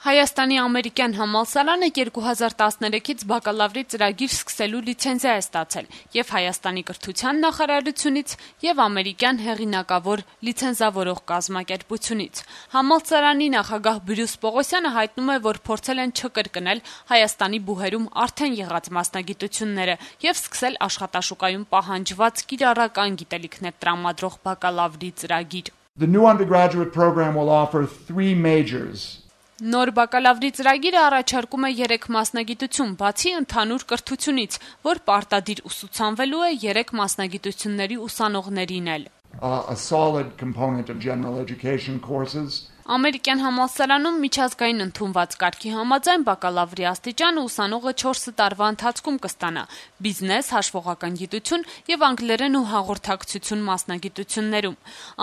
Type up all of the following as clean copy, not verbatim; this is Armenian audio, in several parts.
Հայաստանի ամերիկյան համալսարանը 2013-ից բակալավրի ծրագիր սկսելու լիցենզիա է ստացել և Հայաստանի կրթության նախարարությունից և ամերիկյան հեղինակավոր լիցենզավորող կազմակերպությունից։ Համալսարանի նախագահ Բրյուս Պողոսյանը հայտնում է, որ փորձել են չկրկնել Հայաստանի բուհերում արդեն եղած մասնագիտությունները և սկսել աշխատաշուկայում պահանջված կիրառական գիտելիքներ տրամադրող բակալավրի ծրագիր։ The new undergraduate program will offer 3 majors. Նոր բակալավրի ծրագիրը առաջարկում է 3 մասնագիտություն, բացի ընդհանուր կրթությունից, որ պարտադիր ուսուցանվելու է 3 մասնագիտությունների ուսանողներին էլ։ A solid component of general education courses. Ամերիկյան համալսարանում միջազգային ընդունված կարգի համաձայն բակալավրի աստիճանը ուսանողը 4 տարվա ընթացքում կստանա բիզնես, հաշվողական գիտություն և անգլերեն ու հաղորդակցություն մասնագիտություններում։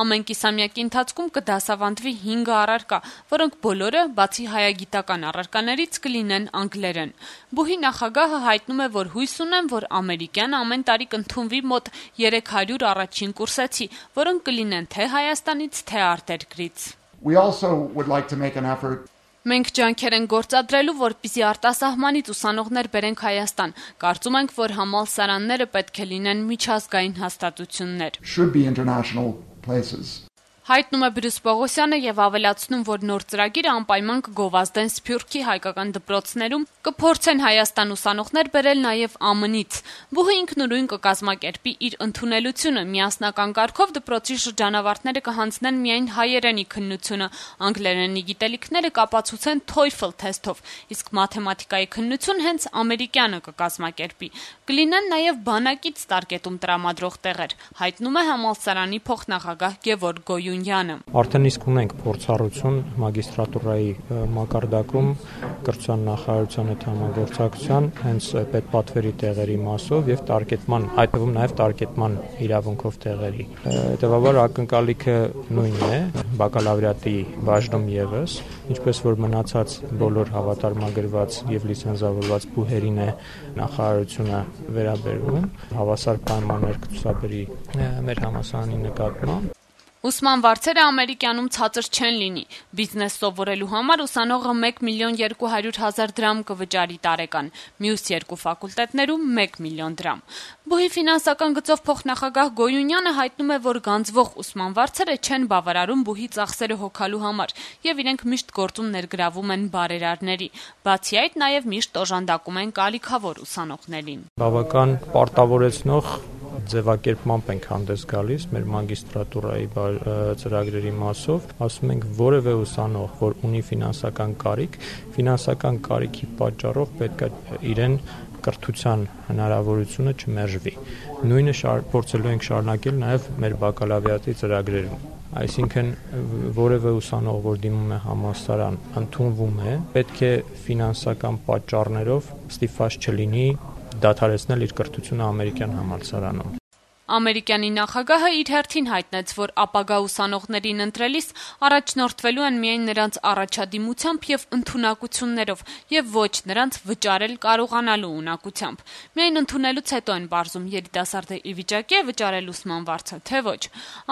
Ամեն կիսամյակի ընթացքում կդասավանդվի 5 առարկա, որոնք բոլորը, բացի հայագիտական առարկաներից, կլինեն անգլերեն։ Բուհի նախագահը հայտնում է, որ հույս ունեն, որ ամերիկյան ամեն տարի կընդունվի մոտ 300 առաջին կուրսեցի, որոնք կլինեն թե Հայաստանից, թե արտերկրից։ We also would like to make an effort. Մենք ջանքեր ենք գործադրելու, որպեսզի արտասահմանից ուսանողներ բերենք Հայաստան։ Կարծում ենք, որ համալսարանները պետք է լինեն միջազգային հաստատություններ։ Should be international places. Հայտնում է Բրյուս Պողոսյանը և ավելացնում, որ նոր ծրագիրը անպայման կգովազդեն Սփյուռքի հայկական դպրոցներում, կփորձեն Հայաստան ուսանողներ բերել նաև ԱՄՆ-ից։ Բուհը ինքնուրույն կկազմակերպի իր ընդունելությունը, միասնական կարգով դպրոցի շրջանավարտները կհանձնեն միայն հայերենի քննությունը, անգլերենի գիտելիքները կապացուցեն TOEFL թեստով, իսկ մաթեմատիկայի քննություն հենց ամերիկյանը կկազմակերպի։ Կլինեն նաև բանակից տարկետում տրամադրող տեղեր, հայտնում է համալսարանի փոխնախագահ Գևորգ Գոյունյանը։ Արդեն իսկ ունենք փորձառություն մագիստրատուրայի մակարդակում կրթության նախարարության հետ համագործակցության հենց պետպատվերի տեղերի մասով եւ տարկետման, հայտնվում նաեւ տարկետման իրավունքով տեղերի։ Հետևաբար ակնկալիքը նույնն է, բակալավրիատի բաժնում եւս, ինչպես որ մնացած բոլոր հավատարմագրված եւ լիցենզավորված բուհերին է նախարարությունը վերաբերվում, հավասար պայմաններ կցուցաբերի մեր համալսարանի նկատմամբ։ Ուսման վարձերը ամերիկյանում ցածր չեն լինի։ Բիզնես սովորելու համար ուսանողը 1,200,000 դրամ կվճարի տարեկան, մյուս 2 ֆակուլտետներում 1 միլիոն դրամ։ Բուհի ֆինանսական գծով փոխնախագահ Գոյունյանը հայտնում է, որ գանձվող ուսման վարձերը չեն բավարարում բուհի ծախսերը հոգալու համար եւ իրենք միշտ գործում ներգրավում են բարերարների։ Բացի այդ, նաեւ միշտ օժանդակում են կարիքավոր ուսանողներին։ Բավական պարտավորեցնող ձևակերպմամբ ենք հանդես գալիս մեր մագիստրատուրայի ծրագրերի մասով, ասում ենք որևէ ուսանող, որ ունի ֆինանսական կարիքի պատճառով պետք է իրեն կրթության հնարավորությունը չմերժվի։ Նույնը փորձելու ենք շարունակել նաև մեր բակալավրիատի ծրագրերում։ Այսինքն որևէ ուսանող, որ դիմում է համալսարան, ընդունվում է, պետք է ֆինանսական պատճառներով ստիպված չլինի դադարեցնել իր կրթությունը ամերիկյան համալսարանում։ Ամերիկյանի նախագահը իր հերթին հայտնեց, որ ապագա ուսանողներին ընտրելիս առաջնորդվելու են միայն նրանց առաջադիմությամբ եւ ընդունակություններով եւ ոչ նրանց վճարել կարողանալու ունակությամբ։ Միայն ընդունելուց հետո են բարձում երիտասարդը ի վիճակի է վճարել ուսման վարձը, թե ոչ։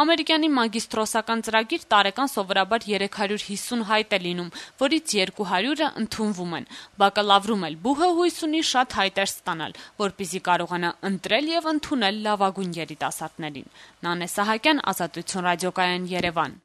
Ամերիկյանի մագիստրոսական ծրագիր տարեկան սովորաբար 350 հայտ է լինում, որից 200-ը ընդունվում են։ Բակալավրում էլ բուհը հույս ունի շատ հայտեր ստանալ, որպեսզի կարողանա ընտրել եւ ընդունել լավագույն երիտասարդներին։ Նանե Սահակյան, Ազատություն ռադիոկայան, Երևան։